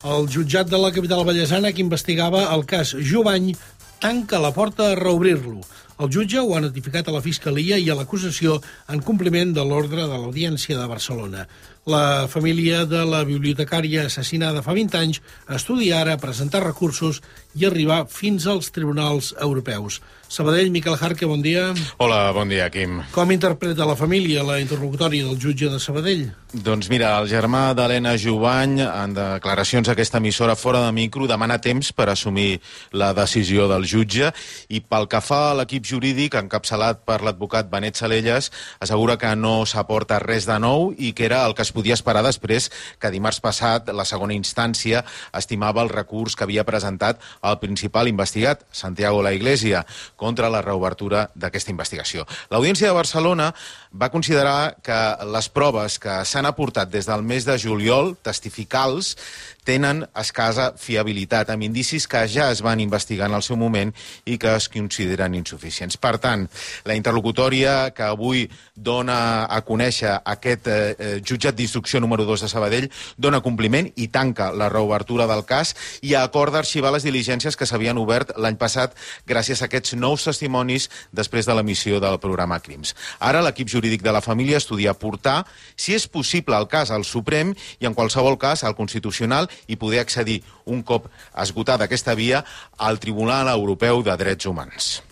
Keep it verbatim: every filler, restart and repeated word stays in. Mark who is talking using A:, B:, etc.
A: El jutjat de la capital vallesana que investigava el cas Jubany tanca la porta a reobrir-lo. El jutge ho ha notificat a la Fiscalia i a l'acusació en compliment de l'ordre de l'Audiència de Barcelona. La família de la bibliotecària assassinada fa vint anys estudia ara presentar recursos i arribar fins als tribunals europeus. Sabadell, Miquel Jarque, bon dia.
B: Hola, bon dia, Quim.
A: Com interpreta la família la interlocutòria del jutge de Sabadell?
B: Doncs mira, el germà d'Helena Jubany, en declaracions a aquesta emissora fora de micro, demana temps per assumir la decisió del jutge i pel que fa a l'equip jurídic, encapçalat per l'advocat Benet Salellas, assegura que no s'aporta res de nou i que era el que es podia esperar després que dimarts passat la segona instància estimava el recurs que havia presentat el principal investigat, Santiago La Iglesia, contra la reobertura d'aquesta investigació. L'Audiència de Barcelona va considerar que les proves que s'han aportat des del mes de juliol, testificals, tenen escassa fiabilitat, amb indicis que ja es van investigar en el seu moment i que es consideren insuficients. Per tant, la interlocutòria que avui dona a conèixer aquest eh, jutjat d'instrucció número dos de Sabadell dona compliment i tanca la reobertura del cas i acorda arxivar les diligències que s'havien obert l'any passat gràcies a aquests nous testimonis després de l'emissió del programa Crims. Ara l'equip jurídic de la família estudia portar, si és possible, el cas al Suprem i en qualsevol cas al Constitucional i poder accedir, un cop esgotada aquesta via, al Tribunal Europeu de Drets Humans.